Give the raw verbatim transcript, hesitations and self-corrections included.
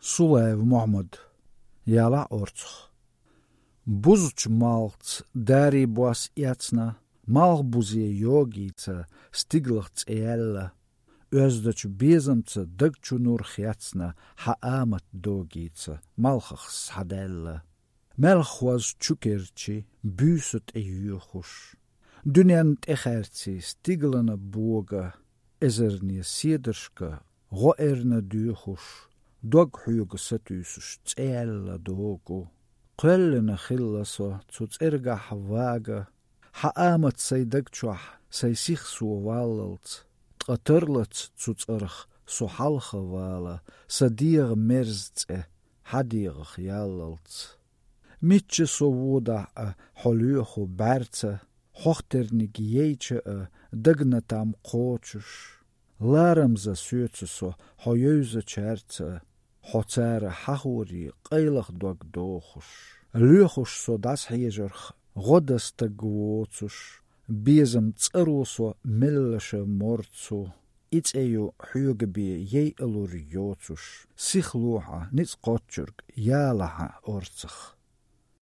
Сулаев Мухаммад, яла орцх. Бузуч малц дари буас яцна, мал бузе йогица, стиглахц эялла, өздөч безамца дагчу нурх яцна, хаамат догица, малхахс хаделла. Melchwas чукерчи, büsut e juchus. Dunent echertsi, stiglana boga, ezernie siederska, roerne duchus, doghuge satysus, tsella dogo. Quellena chillaso, zuts erga havaga, haamat sei dagchuah, sei sich so wallalt, tqaterlats zuts erg, so halge wala, sadir merztse, hadir jallalt. Mitje so woda a holucho berce, hochternig jeetje a dignatam kochus, laram za suetse so hojuze cherce, hotzere hahuri qeilig dog dochus. Luchus so das hejerch, rodas te gwotsus, bezem tsero so millische mortsu, iets eju hugebi je elur jotsus, sich loha nits qotjurg, jalaha ortsig.